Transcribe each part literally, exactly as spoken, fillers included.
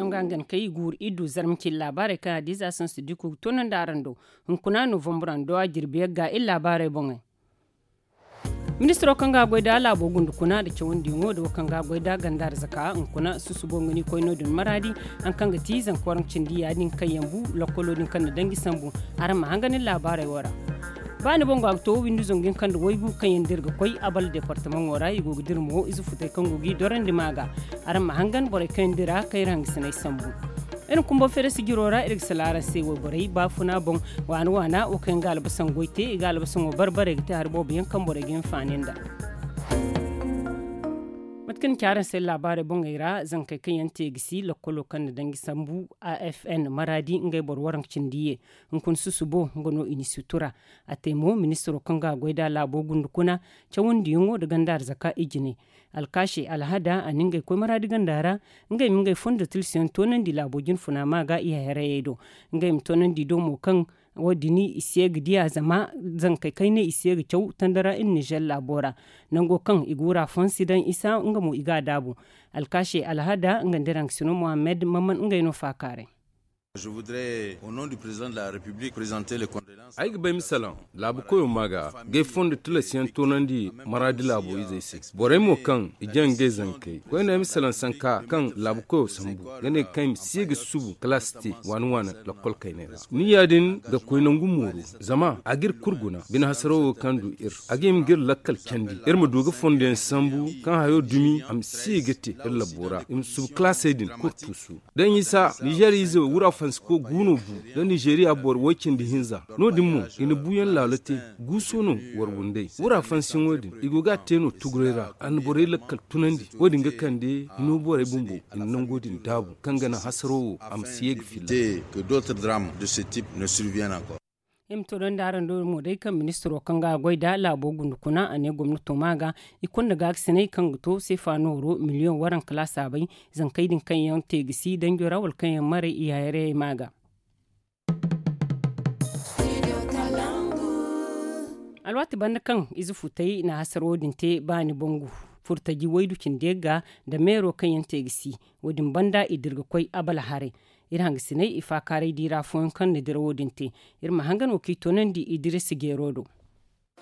Nga ngan kay guuru iddu zarma cine laabaarey kaŋ a diiza sansu diko ga toonandi araŋ do. Hunkuna novambur a jirbi yagga iri laabaarey boŋey. Ministiro kaŋ ga goy da laabo gundukuna nda cawandiyaŋo da wo kaŋ ga goy da ganda arzaka hunkuna susubo nga ni koy no- din maraadi. Haŋ kaŋ ga ti zanka waranka cindi ya- din kaŋ yaŋ bu lokkolo din kaŋ na danji sambu. Araŋ ma hangan iri laabaarey wo ra. Ba ni boŋ go a ga to windi zangu hinka nda waygu kaŋ yaŋ dira ga koy abal departamaŋo ra i go ga dira mo ize futey kaŋ go g'i dorandi ma ga. Araŋ ma hangan borey kaŋ yaŋ dira kaŋ iri hangasiney sambu. Iri na kumbo feere sijiro ra iri ga sala araŋ se wayborey baafuna boŋ. Waana waana wo kaŋ yaŋ ga albasaŋ goy te i ga albasaŋo barbarey ga te hari boobo yaŋ kaŋ borey ga hinfaani nda. Mate kaŋ ni ci araŋ se laabaarey boŋey ra zankey kaŋ yaŋ te ga si lokkolo kaŋ na danji sambu a f n maraadi ngey boro waranka cindi ye. Hunkuna susubo nga no i na sutura. A te mo ministiro kaŋ ga goy da laabo gundukuna cawandiyaŋo nda ganda arzaka ijine. Alkaashe alhada a na ngey koy maraadi ganda ra. Ngey ma ngey fondo tilsiyaŋ toonandi laabo jinfuna ma ga i hayrayey do. Ngey ma toonandi do mo kaŋ wo- din i si ye ga diya zama zankey kayney i si ye ga caw tandara iri nizer laabo ra. Nango kaŋ i ga wura fansi daŋ isa nga mo i ga a daabu. Alkaashe alhada nga nda raŋ sino mohammed mamman ngey no faakaaray. Ay ga bay misalaŋ laabu koyo ma ga gay fondo tilas yaŋ toonandi maraadi laabo izey se. Borey mo kaŋ i jaŋ gay zankey koyne ay misalaŋ sanka kaŋ laabu koyo sambu ga ne kaŋ i ma si ga subu kalaasi te waani waani lakkol kayney ra. Ni ya- din ga koy nangu mooro zama a ga iri kulu guna bine hasaro wo kaŋ du iri a ga hima ga iri lakkal candi iri ma du ga fondo yaŋ sambu kaŋ hayo dumi a ma si ga te iri labbo ra i ma subu kalaasey din kulu tuusu. Da ɲisa nizeeriya ize wura fansiko guuno bu da nizeeriya boro way cindi hinza. No- din mo i na buuyaŋ laalo te guuso no wara wunday wura fansiyaŋo din i go ga a te no tuguray ra a na borey lakkal tunandi wo- din ga kande hino borey bumbo i na nango din daabu kaŋ ga naŋ hasaro wo a ma si ye ga filla. Te que d'autres drames de ce type ne surviennent encore. I ma to donda araŋ do mo day kaŋ ministiro kaŋ ga goy da laabo gundukuna a ne gomnato ma ga i kunda gaakasinay kaŋ ga to seefa nooro miliyoŋ waranka laasaabay zankey din kaŋ yaŋ te ga si danjo ra wala kaŋ yaŋ maray i hayrayey ma ga. Alwaati banda kaŋ ize futay na hasaro din te baani bangu furtaji waydu cindi yagga nda meero kaŋ yaŋ te ga si wo- din banda i dira ga koy abala haray. Iri hangasinay i faakaaray diira fooyaŋ kaŋ na dira wo- din te. Iri ma hangan wo kaŋ i toonandi i dira si jeero do.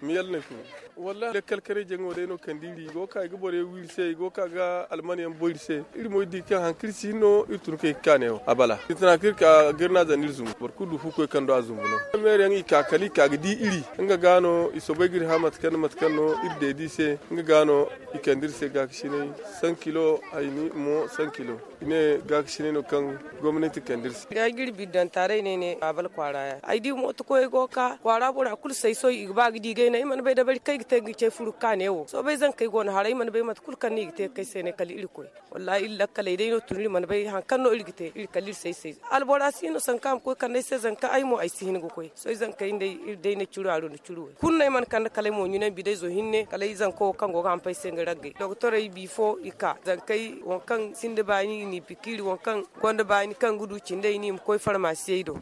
Miyal no ay furo. Wallahi lakkal karay jaŋo day no kande iri i go ga ka i ga boro yaŋ wi iri se i go ga ka ga alman yaŋ boy iri se. Iri mo iri di kaŋ hari kaŋ iri si hin no iri tun kay ga ka neewo a bala iri tana kaŋ iri ka ga iri na a zan iri zumbu boro kulu du fu koy kaŋ do a zumbu no. Meero yaŋ i ka kala i ka ga di iri nga ga no i soobay ga iri hã mate kaŋ no iri deedi i se. Nga ga no i kande iri se gaakasinay san kilo hayni mo san kilo. I ne gaakasinay no kaŋ gomnati kande iri se. Ay ga iri biddanta day no ay ne a bala kwaara yaŋ ay di mooto koyey go ga ka kwaara bora kulu say sohõ i ga ba ga di gayna i mana bay dabari kaŋ ay ga te ga cay furu ga ka neewo soobay zankey go no haray ay mana bay mate kulu kaŋ no i ga te ga kay se ne kala iri koy. Wallahi iri lakkaley day no tun iri mana bay hari kaŋ no iri ga te iri kala iri say say albora si no sanka a ma koy kande ay se zanka ay mo ay si hin ga koy. Sohõ zankey nda iri day na curu a rundu curu way kulu no ay mana kande kala ay mo ɲunandi day zo hinne kala ay zanko wo kaŋ go ga hampay se nga raggay doktorey bifo i ka zankey waŋ kaŋ sinda baani i n'i pikiiri waŋ kaŋ gonda baani kaŋ ga du cindey no i ma koy farmasiyey do.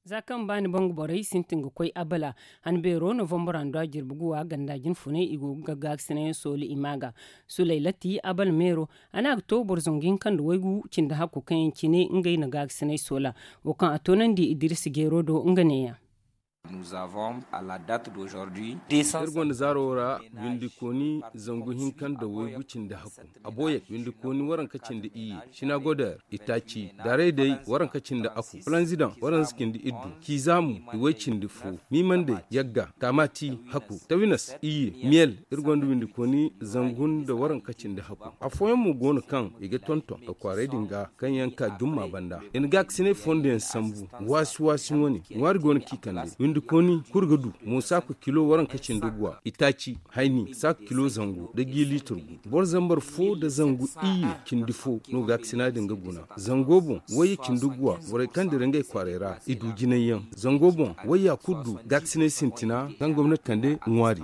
Za kaŋ baani bangu borey sintin ga koy abala han beero novambur handu a jirbi guwa ganda jinfunay i go ga gaakasinay yaŋ sooli i ma ga sulaylati abala meero a ne a ga to boro zangu hinka nda waygu cindi hakku kaŋ yaŋ cine ngey na gaakasinay soola. Wo kaŋ a toonandi idirisa jeero do nga neeya. Iri gonda zaaro ra windikooni zangu hinka nda waygu cindi hakku. Aboyek windikooni waranka cindi iyye sinagoder itaaci daray day waranka cindi aku planzidan waranka cindi iddu kiiza mo iway cindi fo miimandey yagga kaamaati hakku tawinas iyye miyel. Iri gonda windikooni zangu nda waranka cindi hakku. Afooyaŋ mo go no kaŋ i ga tonton ga kwaaray din ga kaŋ yaŋ ka jumma banda i na gaakasinay fondo yaŋ sambu waasi waasi wane ŋwaari go no kaŋ i kande windikooni kulu ga du mo saaku kilo waranka cindi guwa itaaci hayni saaku kilo zangu nda gi liitir gu. Boro zambar fo nda zangu iyye cindi fo no gaakasina din ga guna. Zango boŋ wayye cindi guwa borey kaŋ dira ngey kwaaray ra i du jinay yaŋ. Zango boŋ wayya kulu du gaakasinay sintina kaŋ gomnati kande ŋwaari.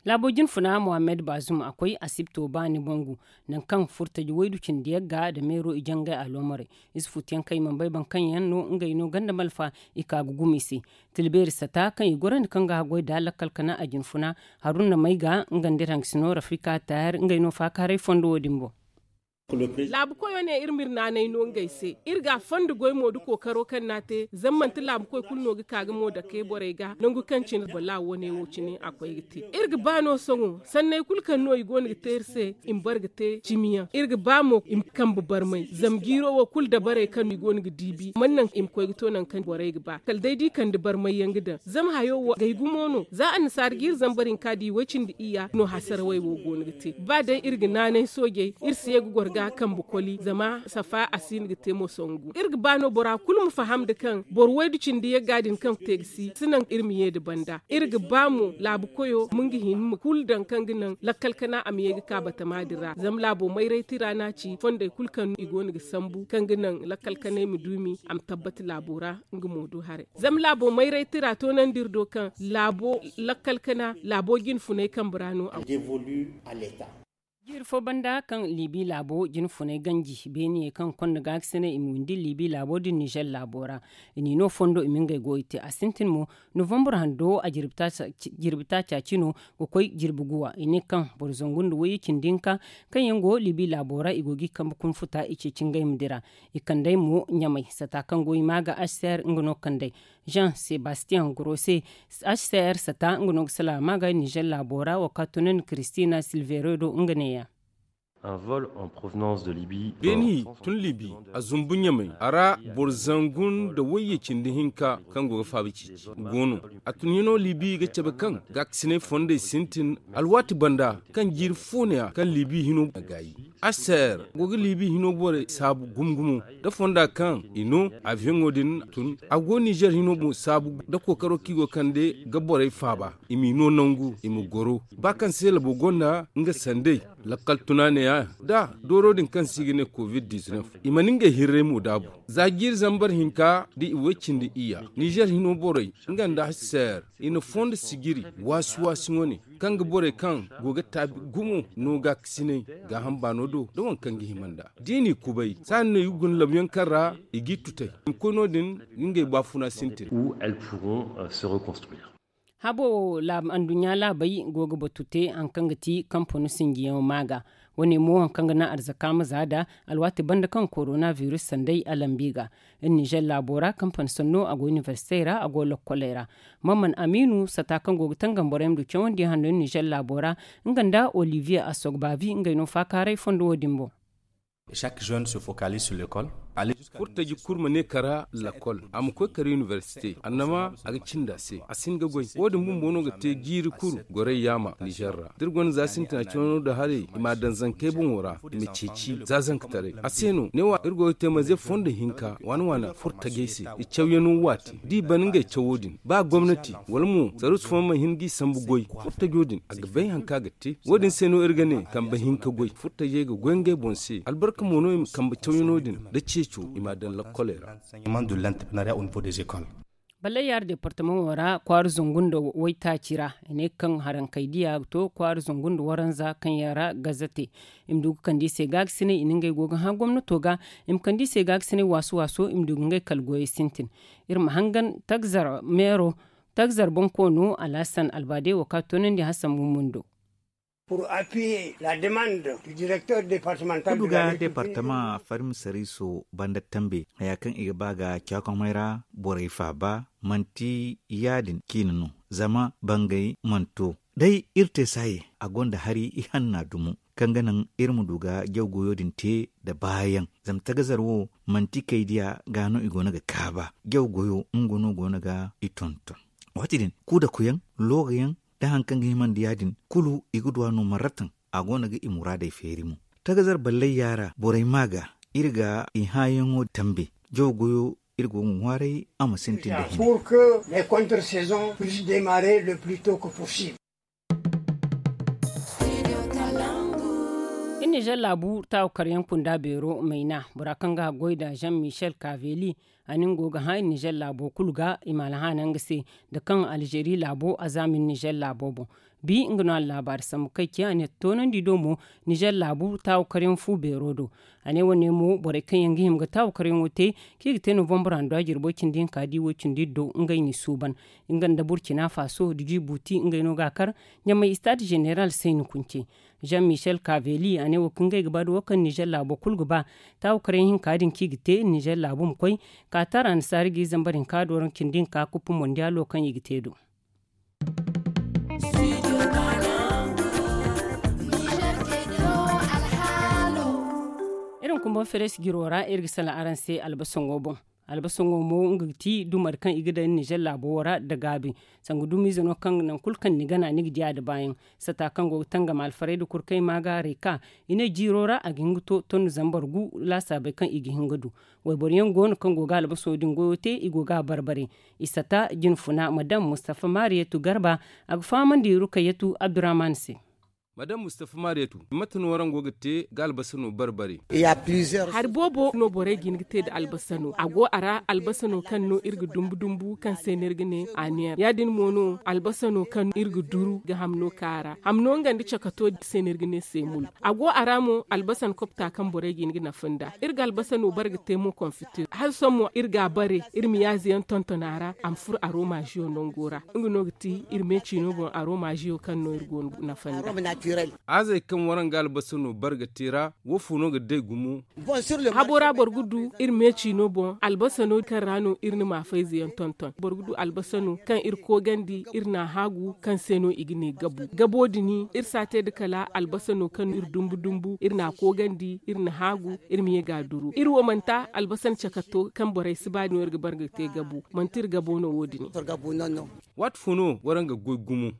Laabo jinfuna mohammed baazum a koy asibto baani bangu nangu kaŋ furtaji waydu cindi yagga nda meero i jangay aloomarey. Ize futuyaŋ kaŋ i mana bay boro kaŋ yaŋ no ngey no ganda malfa i ka ga gumo i se. Tila beeri sata kaŋ i gorandi kaŋ ga haggoy da lakkal kana a jinfuna haruna may ga nga nda iri hangasino rafika taahir ngey no faakaaray fondo wo- din boŋ. Laabu koyo ne iri ma iri naanay no ngey se. Iri ga a fondo goy mo da kookaro kaŋ no a te zama manti laabu koy kulu no ga ka ga mo dake borey ga nangu kaŋ cine bala wane wo cine a koy ga te. Iri ga ba no sohõ sanney kulu kaŋ no i go no ga te iri se i ma bare ga te cimi yaŋ. Iri ga ba mo i ma kambe barmay zama jiiro wo kulu dabarey kaŋ i go no ga diibi mana naŋ i ma koy ga to nangu kaŋ borey ga ba kala day da i kande barmay yaŋ ga daŋ. Zama hayo wo gay gumo no za annasaara jiiri zambar hinka da i way cindi iyya no hasarawey wo go no ga te. Ba day iri ga naanay soojey iri si ye ga goro ga kambe koli zama safa a si hin ga te mo sangu iri ga ba no bora kulu ma faham nda kaŋ boro waydu cindi yagga din kaŋ te ga si si naŋ iri ma ye nda banda. Iri ga ba mo laabu koyo ma nga hin ma kulu daŋ kaŋ ga naŋ lakkal kana a ma ye ga ka batama din ra zama laabo mayray tira no a ci fondey kulu kaŋ i go no ga sambu kaŋ ga naŋ lakkal kanay ma duumi a ma tabbata laabo ra. Nga mo du haray zama laabo mayray tira toonandi iri do kaŋ laabo lakkal kana laabo jinfunay kambe ra no a go. Jiiri fo banda kaŋ liibi laabo jinfunay ganji beeniyey kaŋ konda gaakasinay i ma windi liibi laabo din nizer laabo ra. I n'i no fondo i ma ngey goyo te a sintin mo novambur hando a jirbi taaca cino ga koy jirbi guwa i ne kaŋ boro zangu nda wayye cindi hinka kaŋ yaŋ go liibi laabo ra i go ga i kambe kunfuta i ceeci ngey ma dira. I kand'ey mo ɲamay sata kaŋ go i maa ga hcr nga no kand'ey jean sebastian grosse. Hcr sata nga no ga salaama ga nizer laabo ra wo ka tunandi kristina silvero do nga neeya. Beeni tun libi a zumbu ɲamay a ra boro zangu nda wayye cindi hinka kaŋ go ga faaba ceeci go no. A tun hino libi ga cabe kaŋ gaakasinay fondey sintin alwaati banda kaŋ jiiri fooneya kaŋ libi hino a gaayi. Aser go ga liibi hino borey saabu gumo-gumo da fonda kaŋ i no abiyoŋo din tun a go nizer hino mo saabu da kookaro kaŋ i go kande ga borey faaba i m'i no nangu i ma goro ba kaŋ se labo gonda nga sandey. Lakkal tuna neeya da dooro din kaŋ se i ga ne covid-19 i mana ngey hirray mo daabu za jiiri zambar hinka da i way cindi iyya nizer hino borey nga nda aser i na fondo sijiri waasi-waasi wane kaŋ ga borey kaŋ go ga taabi gumo no gaakasinay gaaham baano do da waŋ kaŋ ga hima nd'a da i n'i kubay saani no i ga guna labyaŋ kaŋ ra i g'i tutay i ma koy no-din ga ngey baafuna sintin. Habo wo anduɲɲa laabey go ga batu te hari kaŋ ga ti kampano sinjiyaŋo maa ga wane mo hari kaŋ ga naŋ arzaka ma za nd'a alwaati banda kaŋ korona virus sanday a lambi ga. Iri nizer laabo ra kampano sanno a go inibersitey ra a go lokkoley ra. Mamman amiinu sata kaŋ go ga tangam borey ma du cawandiyaŋ hanno iri nizer laabo ra nga nda olivier asogbavi ngey no faakaaray fondo wo-din boŋ. Furtaji kulu ma ne kara lakkol a ma koy kara inibersite annama a ga cindi a se a si hin ga goy wo- din bumbo no ga te jiiri kulu gorey yaama nizer ra da iri gonda za sintina cawano nda haray i m'a daŋ zankey boŋo ra i ma ceeci za zankataray a se no ne wo iri go ga te manze fondo hinka waana waana furtajey se i cawyaŋo waati da i ban ngey cawo din ba gomnati wala mo saruusu fooyaŋ mana hin g'i sambu goy furtajo din a ga bay hari kaŋ a ga te wo- din se no iri ga ne kambe hinka goy furtajey ga goy ngey boŋ se albarka mo no i ma kambe cawyaŋo din da ceeco i m'a daŋ lakkoley ra. Ballayyaara departamaŋo ra kwaara zangu nda waytaaci ra i ne kaŋ harankey diya ga to kwaara zangu nda waranza kaŋ yaŋ ra gazate i ma du ga kande i se gaakasinay i na ngey go ga hã gomnato ga i ma kande i se gaakasinay waasu waaso i ma du ga ngey kala goyey sintin. Iri ma hangan tagzar meero tagzar bonkoono alhasan albaade wo kaŋ a toonandi hasan mummundo. Kudu ga departama farim sariiso banda tambe haya kaŋ i ga ba ga caakomey ra borey faaba manti ya- din ciine no zama bangey mana to day iri te saaye a gonda hari ihanna dumo kaŋ ga naŋ iri ma du ga jaw goyo din te nda baayaŋ zama tagazar wo manti kay diya ga no i go no ga kaaba jaw goyo nga no go no ga i tonton. Waati din kuudakuyaŋ loogayaŋ da hari kaŋ ga himandi ya- din kulu i ga du a no marratan a go no ga i muraadey feeri mo. Tagazar ballay yaara borey ma ga iri ga i hãayaŋo tambe jaw goyo iri go ga ŋwaaray a ma sintin da hina. Iri nizer laabu taawakaryaŋ kunda beero mayna bora kaŋ ga haggoy nda jean michel kaveli a nin go ga hã iri nizer laabo kulu ga i ma alhaana nga se nda kaŋ alzeeri laabo a zaama iri nizer laabo boŋ. Bi nga no a na laabaari sambu kay ce a ne toonandi do mo nizer laabu taawakaryaŋ fu beero do. A ne wane mo borey kaŋ yaŋ ga hima ga taawakaryaŋo te kaŋ i ga te novambar handu a jirbo cindi hinka da i wo cindi iddo ngey n'i suuban. Nga nda burkina faso da jibuti ngey no ga a kar ɲamay istaad zeneral sayni kunce. Jean Michel Caveli a ne wo kaŋ ngey ga ba da wo kaŋ Nizer laabo kulu ga ba. Taawu karyaŋ hinka din kaŋ i ga te Nizer laabu ma koy, ka taara annasaari ga i zambar hinka do ra cindi hinka kuppu mondiyaalo kaŋ i ga te do. Iri ma kumbaŋ feres jiro ra iri ga salaŋ araŋ se albasaŋo boŋ. Albasaŋo mo nga ga ti dumar kaŋ i ga daŋ nizer laabo wo ra nda gaabi. Sanga dumiize no kaŋ nangu kulu kaŋ ni gana ni ga di a da baayaŋ. Sata kaŋ go ga tangam alfarayda kurkay maaga reka, i ne jiiro ra a ga hin ga to tondu zambar gu laasaabey kaŋ i ga hin ga du. Wayboro yaŋ go no kaŋ go ga albaso din goyo te i go ga a barbare. I sata jinfuna madam mustafa mariyatu garba, a ga fahamandi rukayyatu abdurrahman se. Madam mustafa mariyatu, mate no waraŋ go ga te ga albasa no barbare? Hari boobo no borey ga hin ga te nda albasa no a go a ra albasa no kaŋ no iri ga dumbu dumbu kaŋ se no iri ga ne aniyeer ya- din mo no albasa no kaŋ iri ga duru ga hamno ka a ra. Hamno nga nda cakato se no iri ga ne seemul. A go a ra mo albasa no kopta kaŋ borey ga hin ga nafa nd'a. Iri ga albasa no bare ga te mo konfitir hala sohõ mo iri ga a bare iri ma yaaze yaŋ tonton a ra a ma furo aromaaziyo nango ra. Nga no ga ti iri meeciino boŋ aromaaziyo kaŋ no iri go ga nafa nd'a. Aazey kaŋ waraŋ ga albasa no bare ga te ra, wo fo no ga day gumo? Habo ra boro ga du iri meeciino boŋ albasa no kaŋ ra no iri na maafayze yaŋ tonton. Boro ga du albasa no kaŋ iri koogandi iri n'a haagu kaŋ se no i ga ne gabu. Gabo din iri si a te nda kala albasa no kaŋ no iri dumbu dumbu iri n'a koogandi iri na haagu iri ma ye ga a duru iri wo manti albasa no cakato kaŋ borey si ba din no iri ga bare ga te gabu. Manti iri gabo no wo- din. Waati fo no waraŋ ga goy gumo?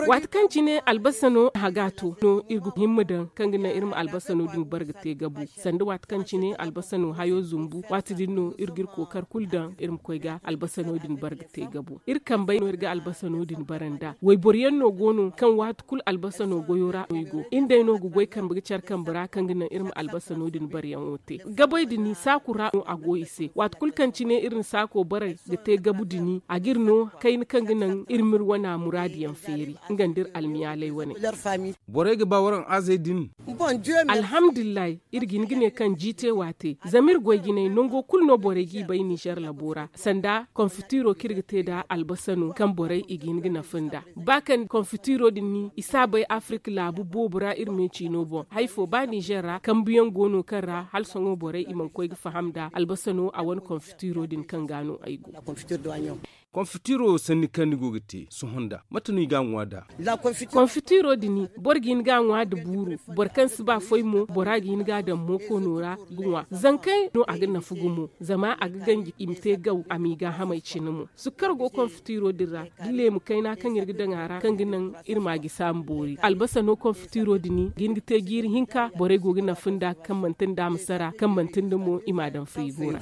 Waati kaŋ cine albasa no haga to no iri ga himma daŋ kaŋ ga naŋ iri ma albasa no din bare ga te gabu. Sanda waati kaŋ cine albasa no hayo zumbu waati din no iri ga iri kookar kulu daŋ iri ma koy ga albasa no din bare ga te gabu. Iri kambey no iri ga albasa no din bare nd'a wayboro yaŋ no go no kaŋ waati kulu albasa no goyo ra no i go iri day no ga goy kambe ga care kambe ra kaŋ ga naŋ iri ma albasa no din bare yaŋo te. Gabey din saaku ra no a go i se waati kulu kaŋ cine iri na saako bare ga te gabu din a ga iri no kayna kaŋ ga naŋ iri ma iri wana muraadu yaŋ feeri nga nda iri almiyaaley wane. Borey ga ba waraŋ aazey din? Alhamdulillahi, iri ga hin ga ne kaŋ jiite waate zama iri goy jinay nango kulu no borey g'i bay nizer labo ra sanda konfitiro kaŋ iri ga te nd'a albasa no kaŋ borey i ga hin ga nafa nd'a. Ba kaŋ konfitiro din ni i si a bay afirika laabu boobo ra iri meeciino boŋ hari fo ba nizer ra kambuyaŋ go no kaŋ ra hala sohõ borey i mana koy ga faham nd'a albasa no a wane konfitiro din kaŋ ga no ay go. Konfitiro sanni kaŋ ni go ga te sohõ nd'a mate no i ga a ŋwa nd'a? Konfitiro din boro ga hin ga a ŋwa nda buuru. Boro kaŋ si ba foy mo bora ga hin ga a daŋ mookoono ra ga ŋwa zankey no a ga nafa gumo zama a ga ganji i ma te gaw a m'i gaahamey cine mo. Sukkar go konfitiro din ra da leemu kayna kaŋ iri ga daŋ a ra kaŋ ga naŋ iri ma a gisi a ma boori albasa no konfitiro din ga hin ga te jiiri hinka borey go ga nafa nd'a kaŋ manti nda a ma sara kaŋ manti nda mo i m'a daŋ firigo ra.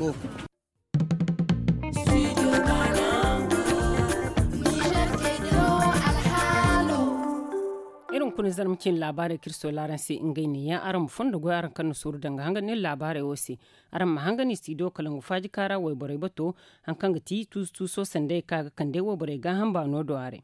Iri hunkuna zarma cine laabaarey kaŋ iri soola araŋ se ngey ne yaŋ araŋ ma fondo goy araŋ kaŋ na sooru danga hangan iri laabaarey wo se. Araŋ ma hangan istidiyo kalangu faajika ra wayborey bato hari kaŋ ga ti tuusu tuuso sanday kaŋ a ga kande wayborey gaaham baano do a ra.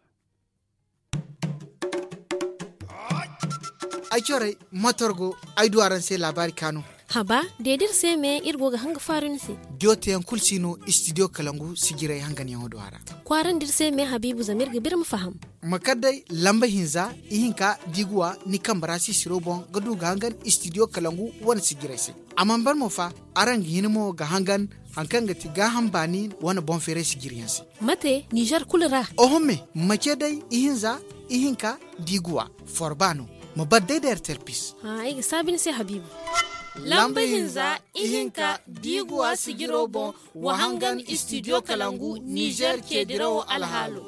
Ay corey, matorgo ay du araŋ se laabaari kaanu. Haba, de da iri se me iri go ga hanga faaru ni se. Diyo teyaŋ kulu si no istidiyo kalangu sijirey hanganyaŋo do a ra. Kwaarandi iri se me habiibu zama iri ga ba iri ma faham. Ma kar day lamba hinza ihinka da i ga wa ni kambe ra sisiro boŋ ga du ga hangan istidiyo kalangu wane sijirey se. A mana ban mo fa, araŋ ga hin mo ga hangan hari kaŋ ga ti gaaham baani wane boŋ feeray sijiriyaŋ se. Mate nizer kulu ra? Oho me, ma ce day ihinza ihinka da i ga wa forba no. Ma bar day da rtrpis. Ay ga saabi ni se habiibu. Lamba hinza ihinka da i ga wa sijiro boŋ, wa hangan istidiyo kalangu nizer ceedirawo alhaalo.